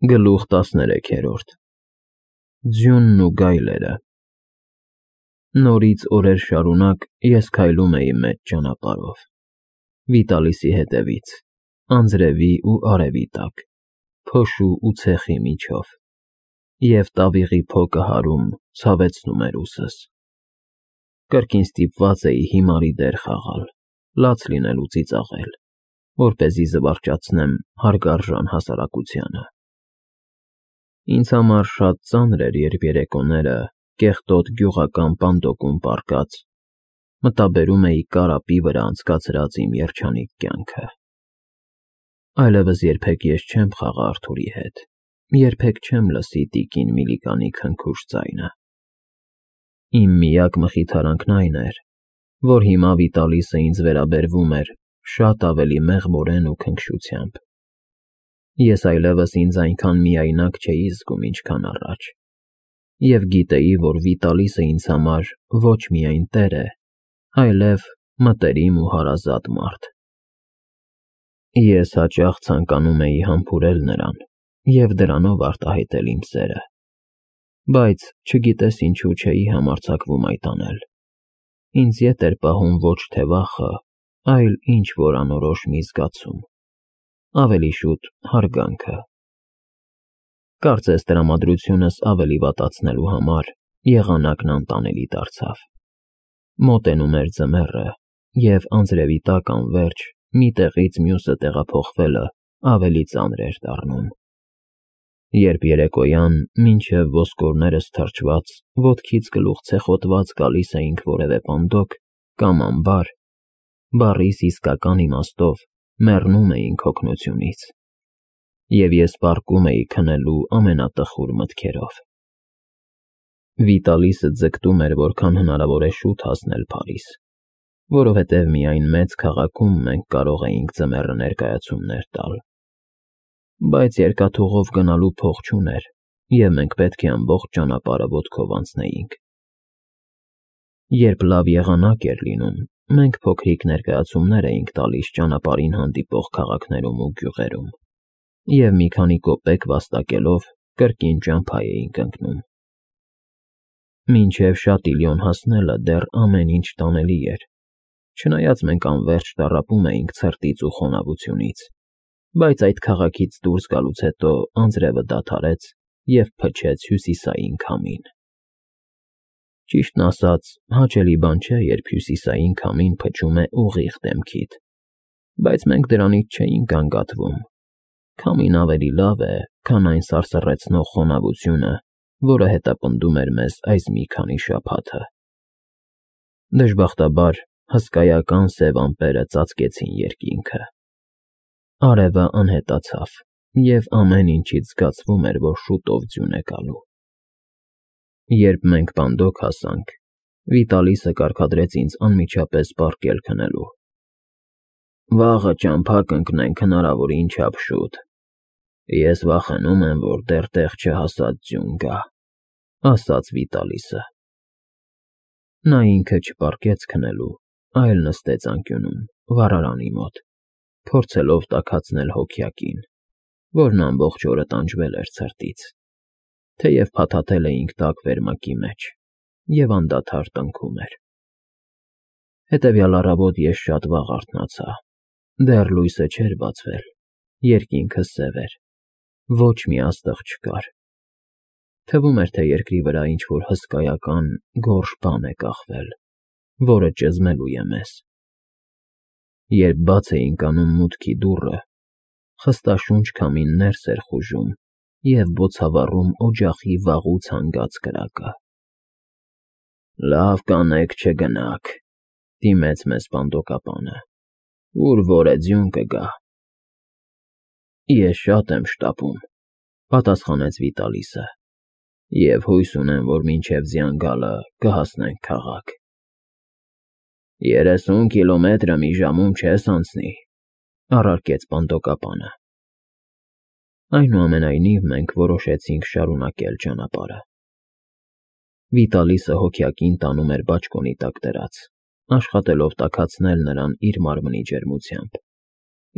Գլուխ 13 Ձյունն ու գայլերը Նորից օրեր շարունակ ես քայլում էի մեծ ճանապարհով, Վիտալիսի հետևից, անձրևի ու արևի տակ, փոշու ու ցեխի միջով, և տավիղի փոկը հարում ցավեցնում էր ուսս։ Կրկին ստիպված էի հիմարի դեր խաղալ, լաց լինել ու ծիծաղել, որպեսզի զվարճացնեմ հարգարժան հասարակությանը։ Ինձ համար շատ ծանր էր, երբ երեկոները, կեղտոտ գյուղական պանդոկում պառկած, մտաբերում էի կարապի վրա անցկացրած իմ երջանիկ կյանքը։ Այլևս երբեք ես չեմ խաղա Արթուրի հետ, երբեք չեմ լսի տիկին Միլիկանի քնքուշ ձայնը։ Իմ միակ մխիթարանքն այն էր, որ հիմա Վիտալիսը ինձ վերաբերվում էր շատ ավելի մեղմորեն ու քնքշությամբ։ Ես այլևս ինձ այնքան միայնակ չէի զգում, ինչքան առաջ, և գիտեի, որ Վիտալիսը ինձ համար ոչ միայն տեր է, այլև մտերիմ ու հարազատ մարդ։ Ես հաճախ ցանկանում էի համբուրել նրան և դրանով արտահայտել իմ սերը, բայց չգիտես ինչու չէի համարձակվում այդ անել։ Ինձ ետ էր պահում ոչ թե վախը, այլ ինչ-որ անորոշ մի զգացում, ավելի շուտ հարգանքը։ Կարծես տրամադրությունս ավելի վատացնելու համար եղանակն անտանելի դարձավ։ Մոտենում էր ձմեռը, և անձրևի տակ անվերջ մի տեղից մյուսը տեղափոխվելը ավելի ծանր էր դառնում։ Երբ երեկոյան, մինչև ոսկորներս թրջված, ոտքից գլուխ ցեխոտված գալիս էինք որևէ պանդոկ կամ ամբար, բառիս իսկական իմաստով մեռնում էինք հոգնությունից, և ես պառկում էի քնելու ամենատխուր մտքերով։ Վիտալիսը ձգտում էր որքան հնարավոր է շուտ հասնել Փարիզ, որովհետև միայն մեծ քաղաքում մենք կարող էինք ձմեռը ներկայացումներ տալ։ Բայց երկաթուղով գնալու փող չուներ, և մենք պետք է ամբողջ ճանապարհը ոտքով անցնեինք։ Երբ լավ եղանակ էր լինում, մենք փոքրիկ ներկայացումներ էինք տալիս ճանապարհին հանդիպող քաղաքներում ու գյուղերում, և մի քանի կոպեկ վաստակելով կրկին ճամփա էինք ընկնում։ Մինչև Շատիլյոն հասնելը դեռ ամեն ինչ տանելի էր, չնայած մենք անվերջ տառապում էինք ցրտից ու խոնավությունից, բայց այդ քաղաքից դուրս գալուց հետո անձրևը դադարեց և փչեց հյուսիսային քամին։ Ճիշտն ասած, հաճելի բան չէ, երբ հյուսիսային քամին փչում է ուղիղ դեմքիդ, բայց մենք դրանից չէինք գանգատվում։ Քամին ավելի լավ է, քան այն սարսռեցնող խոնավությունը, որը հետապնդում էր մեզ այս մի քանի շաբաթը։ Դժբախտաբար, հսկայական սև ամպերը ծածկեցին երկինքը։ Արևը անհետացավ, և ամեն ինչից զգացվում էր, որ շուտով ձյուն է գալու։ Երբ մենք պանդոկ հասանք, Վիտալիսը կարգադրեց ինձ անմիջապես պառկել քնելու։ «Վաղը ճամփա կընկնենք հնարավորին չափ շուտ։ Ես վախենում եմ, որ դեռ տեղ չհասած ձյուն գա», ֊ ասաց Վիտալիսը։ Նա ինքը չպառկեց քնելու, այլ նստեց անկյունում, վառարանի մոտ, փորձելով տաքացնել հոգյակին, որն ամբողջ օրը տանջվել էր ցրտից, թեև փաթաթել էինք տաք վերմակի մեջ, և անդադար տնքում էր։ Հետևյալ առավոտ ես շատ վաղ արթնացա, դեռ լույսը չէր բացվել, երկինքը սև էր, ոչ մի աստղ չկար։ Թվում էր, թե երկրի վրա ինչ-որ հսկայական, գորշ բան է կախվել, որը ճզմելու է մեզ։ Երբ բաց էինք անում մուտքի դուռը, խստաշունչ քամին ներս էր խուժում և բոցավառում օջախի վաղուց հանգած կրակը։ «Լավ կանեք չգնաք», ֊ դիմեց մեզ պանդոկապանը, «ուր որ է ձյուն կգա»։ «Ես շատ եմ շտապում», ֊ պատասխանեց Վիտալիսը, «և հույս ունեմ, որ մինչև ձյան գալը կհասնենք քաղաք»։ 30 կիլոմետրը մի ժամում չես անցնի, ֊ առարկեց պանդոկապանը։ Այնուամենայնիվ մենք որոշեցինք շարունակել ճանապարհը։ Վիտալիսը հոգյակին տանում էր բաճկոնի տակ դրած, աշխատելով տաքացնել նրան իր մարմնի ջերմությամբ,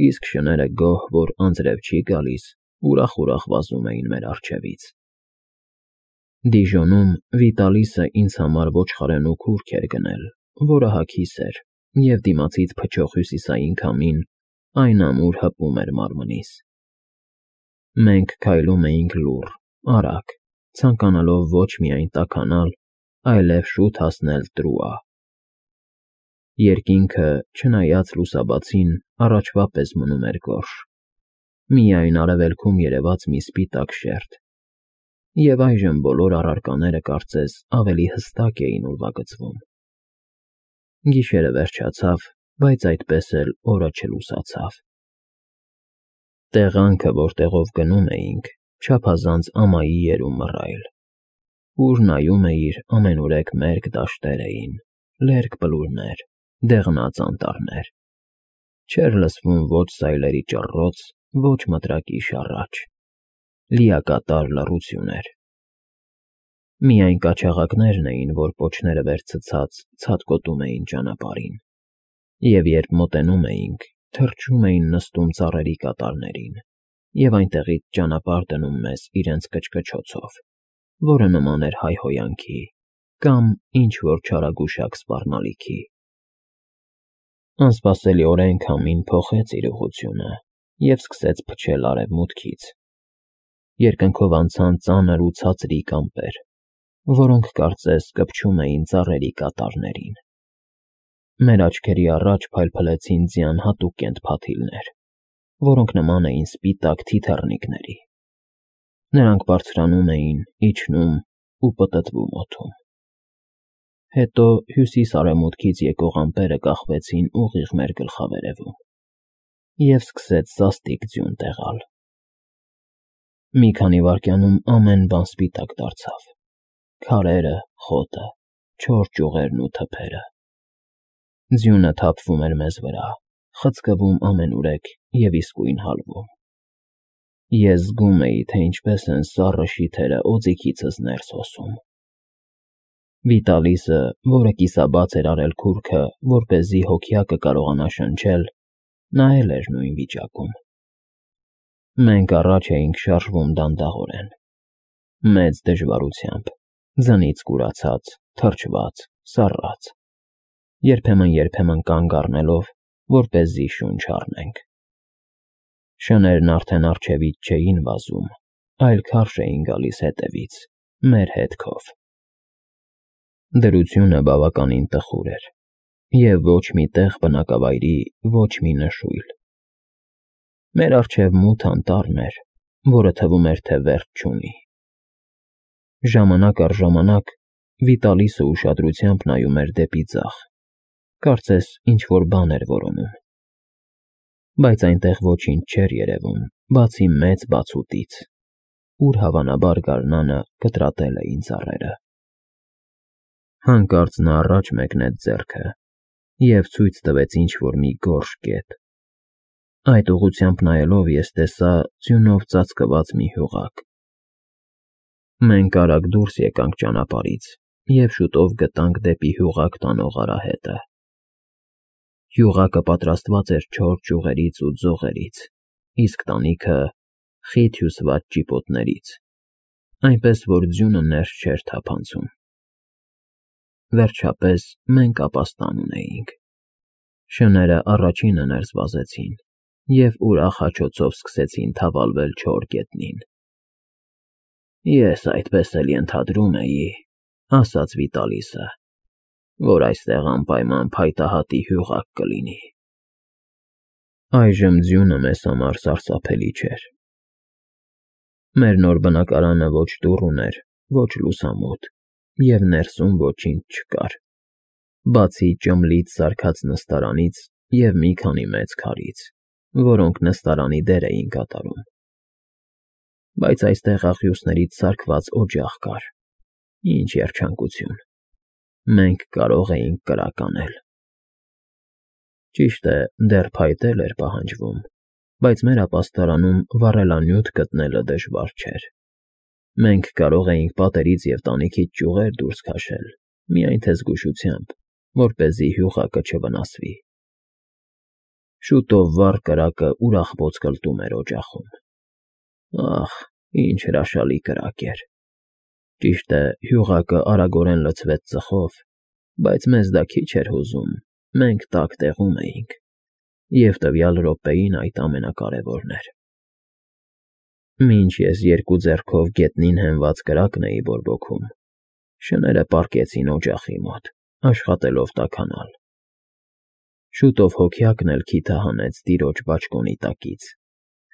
իսկ շները գոհ, որ անձրև չի գալիս, ուրախ վազում էին մեր առջևից։ Դիժոնում Վիտալիսը ինձ համար ոչխարենու քուրք էր գնել, որը հագիս էր, և դիմացից փչող հյուսիսային քամին այն ամուր հպում էր մարմնիս։ Մենք քայլում էինք լուռ, արագ, ցանկանալով ոչ միայն տաքանալ, այլև շուտ հասնել Տրուա։ Երկինքը, չնայած լուսաբացին, առաջվա պես մնում էր գորշ, միայն արևելքում երևաց մի սպիտակ շերտ, և այժմ բոլոր առարկաները կարծես ավելի հստակ էին ուրվագծվում։ Գիշերը վերջացավ, բայց այդպես էլ օրը չլուսացավ։ Տեղանքը, որտեղով գնում էինք, չափազանց ամայի էր ու մռայլ։ Ուր նայում էիր, ամենուրեք մերկ դաշտեր էին, լերկ բլուրներ, դեղնած անտառներ։ Չէր լսվում ոչ սայլերի ճռռոց, ոչ մտրակի շառաչ։ Լիակատար լռություն էր։ Միայն կաչաղակներն էին, որ պոչները վերցցած ցատկոտում էին ճանապարհին, և երբ մոտենում էինք, թռչում էին նստում ծառերի կատարներին և այնտեղից ճանապարհ դնում մեզ իրենց կչկչոցով, որը նման էր հայհոյանքի կամ ինչ-որ չարագուշակ սպառնալիքի։ Անսպասելիորեն քամին փոխեց իր ուղղությունը և սկսեց փչել արևմուտքից։ Երկնքով անցան ծանր ու ցածրիկ ամպեր, որոնք կարծես կպչում էին ծառերի կատարներին։ Մեր աչքերի առաջ փայլփլեցին ձյան հատուկ կենթփաթիլներ, որոնք նման էին սպիտակ թիթեռնիկների։ Նրանք բարձրանում էին, իջնում ու պտտվում օդում։ Հետո հյուսիս֊արևմուտքից եկող ամպերը կախվեցին ուղիղ մեր գլխավերևում, և սկսեց սաստիկ ձյուն տեղալ։ Մի քանի վայրկյանում ամեն բան սպիտակ դարձավ. քարերը, խոտը, չոր ճյուղերն ու թփերը։ Ձյունը թափվում էր մեզ վրա, խցկվում ամենուրեք և իսկույն հալվում։ Ես զգում էի, թե ինչպես են սառը շիթերը օձիքիցս ներս հոսում։ Վիտալիսը, որը կիսաբաց էր արել քուրքը, որպեսզի հոգյակը կարողանա շնչել, նայել էր նույն վիճակում։ Մենք առաջ էինք շարժվում դանդաղորեն, մեծ դժվարությամբ, ձնից կուրացած, թրջված, սառած, երբեմն կանգ առնելով, որպեսզի շունչ առնենք։ Շներն արդեն առջևից չէին վազում, այլ քարշ էին գալիս հետևից, մեր հետքով։ Դրությունը բավականին տխուր էր, և ոչ մի տեղ բնակավայրի, ոչ մի նշույլ։ Մեր առջև մութ անտառն էր, որը թվում էր, թե վերջ չունի։ Ժամանակ առ ժամանակ Վիտալիսը ուշադրությամբ նայում էր դեպի ձախ, կարծես ինչ-որ բան էր որոնում։ Բայց այնտեղ ոչինչ չէր երևում, բացի մեծ բացուտից, ուր հավանաբար գարնանը կտրատել էին ծառերը։ Հանկարծ նա առաջ մեկնեց ձեռքը և ցույց տվեց ինչ-որ մի գորշ կետ։ Այդ ուղղությամբ նայելով ես տեսա ձյունով ծածկված մի հյուղակ։ Մենք արագ դուրս եկանք ճանապարհից և շուտով գտանք դեպի հյուղակ տանող արահետը։ Հյուղակը պատրաստված էր չոր ճյուղերից ու ձողերից, իսկ տանիքը խիտ հյուսված ճիպոտներից, այնպես որ ձյունը ներս չէր թափանցում։ Վերջապես մենք ապաստան ունեինք։ Շները առաջինը ներս վազեցին և ուրախ հաչոցով սկսեցին թավալվել չոր գետնին։ «Ես այդպես էլ ենթադրում էի,֊ ասաց Վիտալիսը,֊ որ այստեղ անպայման փայտահատի հյուղակ կլինի»։ Այժմ ձյունը մեզ համար սարսափելի չէր։ Մեր նոր բնակարանը ոչ դուռ ուներ, ոչ լուսամուտ, և ներսում ոչինչ չկար, բացի ճմլից սարքած նստարանից և մի քանի մեծ քարից, որոնք նստարանի դեր էին կատարում։ Բայց այստեղ աղյուսներից սարքված օջախ կար։ Ինչ երջանկություն։ Մենք կարող էինք կրակ անել։ Ճիշտ է, դեռ փայտ էր պահանջվում, բայց մեր ապաստարանում վառելանյութ գտնելը դժվար չէր։ Մենք կարող էինք պատերից և տանիքից ճյուղեր դուրս քաշել, միայն թե զգուշությամբ, որպեսզի հյուղակը չվնասվի։ Շուտով վառ կրակը ուրախ ոսկլտում էր օջախում։ Ախ, ինչ հրաշալի կրակ էր։ Ճիշտ է, հյողակը արագորեն լցվեց ծխով, բայց մեզ դա քիչ էր հուզում, մենք տաք տեղում էինք, և տվյալ րոպեին այդ ամենակարևորն էր։ Մինչ ես երկու ձեռքով գետնին հենված կրակն էի բորբոքում, շները պառկեցին օջախի մոտ, աշխատելով տաքանալ։ Շուտով հոգյակն էլ քիթը հանեց տիրոջ բաճկոնի տակից,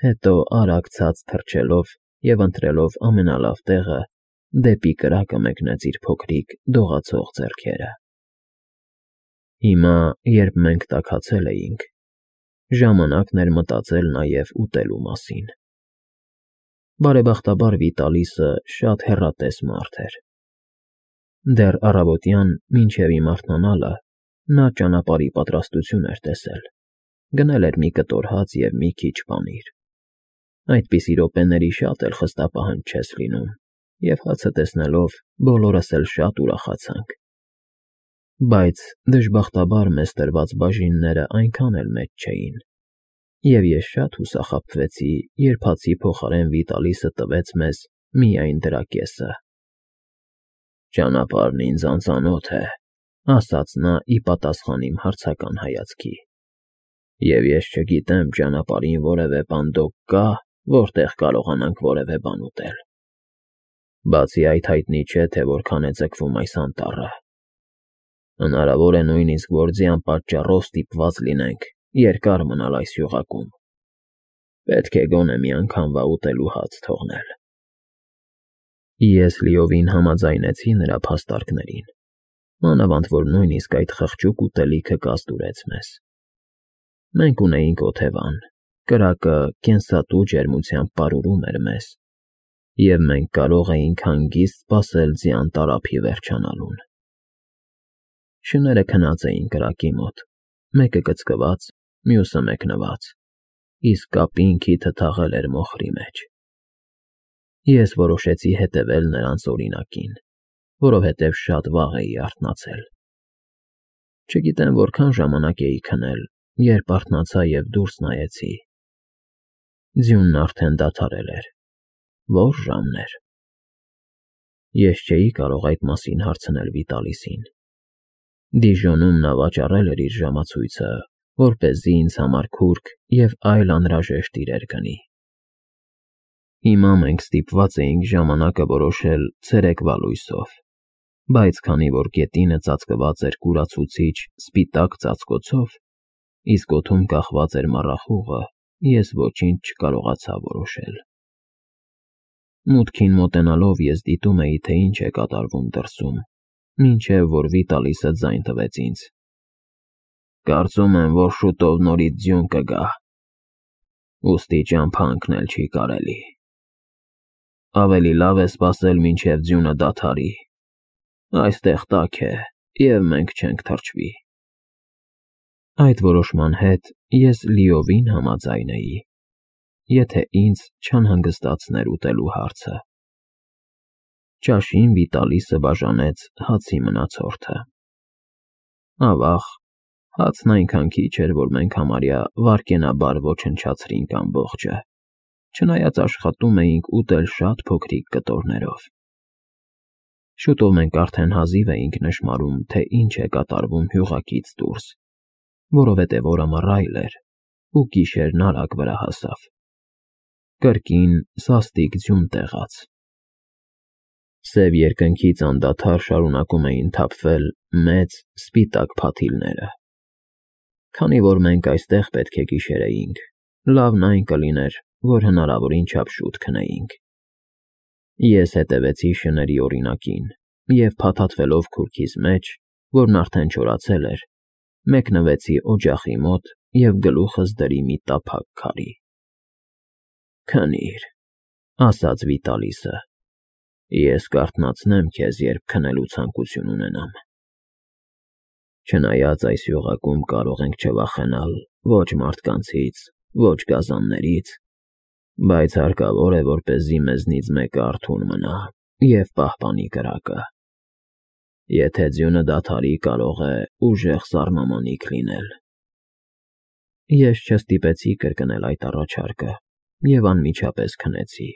հետո արագ ցած թռչելով և ընտրելով ամենալավ տեղը, դեպի կրակը մեկնեց իր փոքրիկ դողացող ձեռքերը։ Հիմա, երբ մենք տաքացել էինք, ժամանակն էր մտածել նաև ուտելու մասին։ Բարեբախտաբար Վիտալիսը շատ հեռատես մարդ էր։ Դեռ առավոտյան, մինչև իմ արթնանալը, նա ճանապարհի պատրաստություն էր տեսել, գնել էր մի կտոր հաց և մի քիչ պանիր։ Այդպիսի րոպեների շատ էլ խստապահանջ չես լինում, և հացը տեսնելով բոլորս էլ շատ ուրախացանք։ Բայց դժբախտաբար մեզ տրված բաժինները այնքան էլ մեծ չէին, և ես շատ հուսախաբվեցի, երբ հացի փոխարեն Վիտալիսը տվեց մեզ միայն դրա կեսը։ «Ճանապարհն ինձ անծանոթ է», ասաց նա ի պատասխան իմ հարցական հայացքի, «և ես չգիտեմ ճանապարհին որևէ պանդոկ կա, որտեղ կարողանանք որևէ բան ուտել։ Բացի այդ հայտնի չէ, թե որքան է ձգվում այս անտառը։ Հնարավոր է նույնիսկ, որ ձյան պատճառով ստիպված լինենք երկար մնալ այս հյուղակում։ Պետք է գոնե մի անգամվա ուտելու հաց թողնել»։ Ես լիովին համաձայնեցի նրա փաստարկներին, մանավանդ որ նույնիսկ այդ խղճուկ ուտելիքը կազդուրեց մեզ։ Մենք ունեինք օթևան, կրակը կենսատու ջերմությամբ պարուրում էր մեզ, և մենք կարող էինք հանգիստ սպասել ձյան տարափի վերջանալուն։ Շները քնած էին կրակի մոտ, մեկը կծկված, մյուսը մեկնված, իսկ կապին քիթը թաղել էր մոխրի մեջ։ Ես որոշեցի հետևել նրանց օրինակին, որովհետև շատ վաղ էի արթնացել։ Չգիտեմ որքան ժամանակ էի քնել, երբ արթնացա և դուրս նայեցի։ Ձյունն արդեն դադարել էր։ Ո՞ր ժամն էր։ Ես չէի կարող այդ մասին հարցնել Վիտալիսին։ Դիժոնում նա վաճառել էր իր ժամացույցը, որպեսզի ինձ համար քուրգ և այլ անհրաժեշտ իրեր գնի։ Հիմա մենք ստիպված էինք ժամանակը որոշել ցերեկվա լույսով, բայց քանի որ գետինը ծածկված էր կուրացուցիչ սպիտակ ծածկոցով, իսկ օդում կախված էր մառախուղը, ես ոչինչ չկարողացա որոշել։ Մուտքին մոտենալով ես դիտում էի, թե ինչ է կատարվում դրսում, մինչև որ Վիտալիսը ձայն տվեց ինձ։ «Կարծում եմ, որ շուտով նորից ձյուն կգա, ուստի ճամփա ընկնել չի կարելի։ Ավելի լավ է սպասել, մինչև ձյունը դադարի։ Այստեղ տաք է, և մենք չենք թրջվի»։ Այդ որոշման հետ ես լիովին համաձայն էի, եթե ինձ չանհանգստացներ ուտելու հարցը։ Ճաշին Վիտալիսը բաժանեց հացի մնացորդը։ Ավաղ, հացն այնքան քիչ էր, որ մենք համարյա վայրկենաբար ոչնչացրինք ամբողջը, չնայած աշխատում էինք ուտել շատ փոքրիկ կտորներով։ Շուտով մենք արդեն հազիվ էինք նշմարում, թե ինչ է կատարվում հյուղակից դուրս, որովհետև օրը մռայլ էր, ու գիշերն արագ վրա հասավ։ Կրկին սաստիկ ձյուն տեղաց։ Սև երկնքից անդադար շարունակում էին թափվել մեծ, սպիտակ փաթիլները։ Քանի որ մենք այստեղ պետք է գիշերեինք, լավն այն կլիներ, որ հնարավորին չափ շուտ քնեինք։ Ես հետևեցի շների օրինակին և փաթաթվելով քուրքիս մեջ, որն արդեն չորացել էր, մեկնվեցի օջախի մոտ և գլուխս դրի մի տափակ քարի։ «Քնիր», ասաց Վիտալիսը, «ես կարթնացնեմ քեզ, երբ քնելու ցանկություն ունենամ։ Չնայած այս հյուղակում կարող ենք չվախենալ ոչ մարդկանցից, ոչ գազաններից, բայց հարկավոր է, որպեսզի մեզնից մեկը արթուն մնա և պահպանի կրակը։ Եթե ձյունը դադարի, կարող է ուժեղ սառնամանիք լինել»։ Ես չստիպեցի կրկնել այդ առաջարկը, և անմիջապես քնեցի։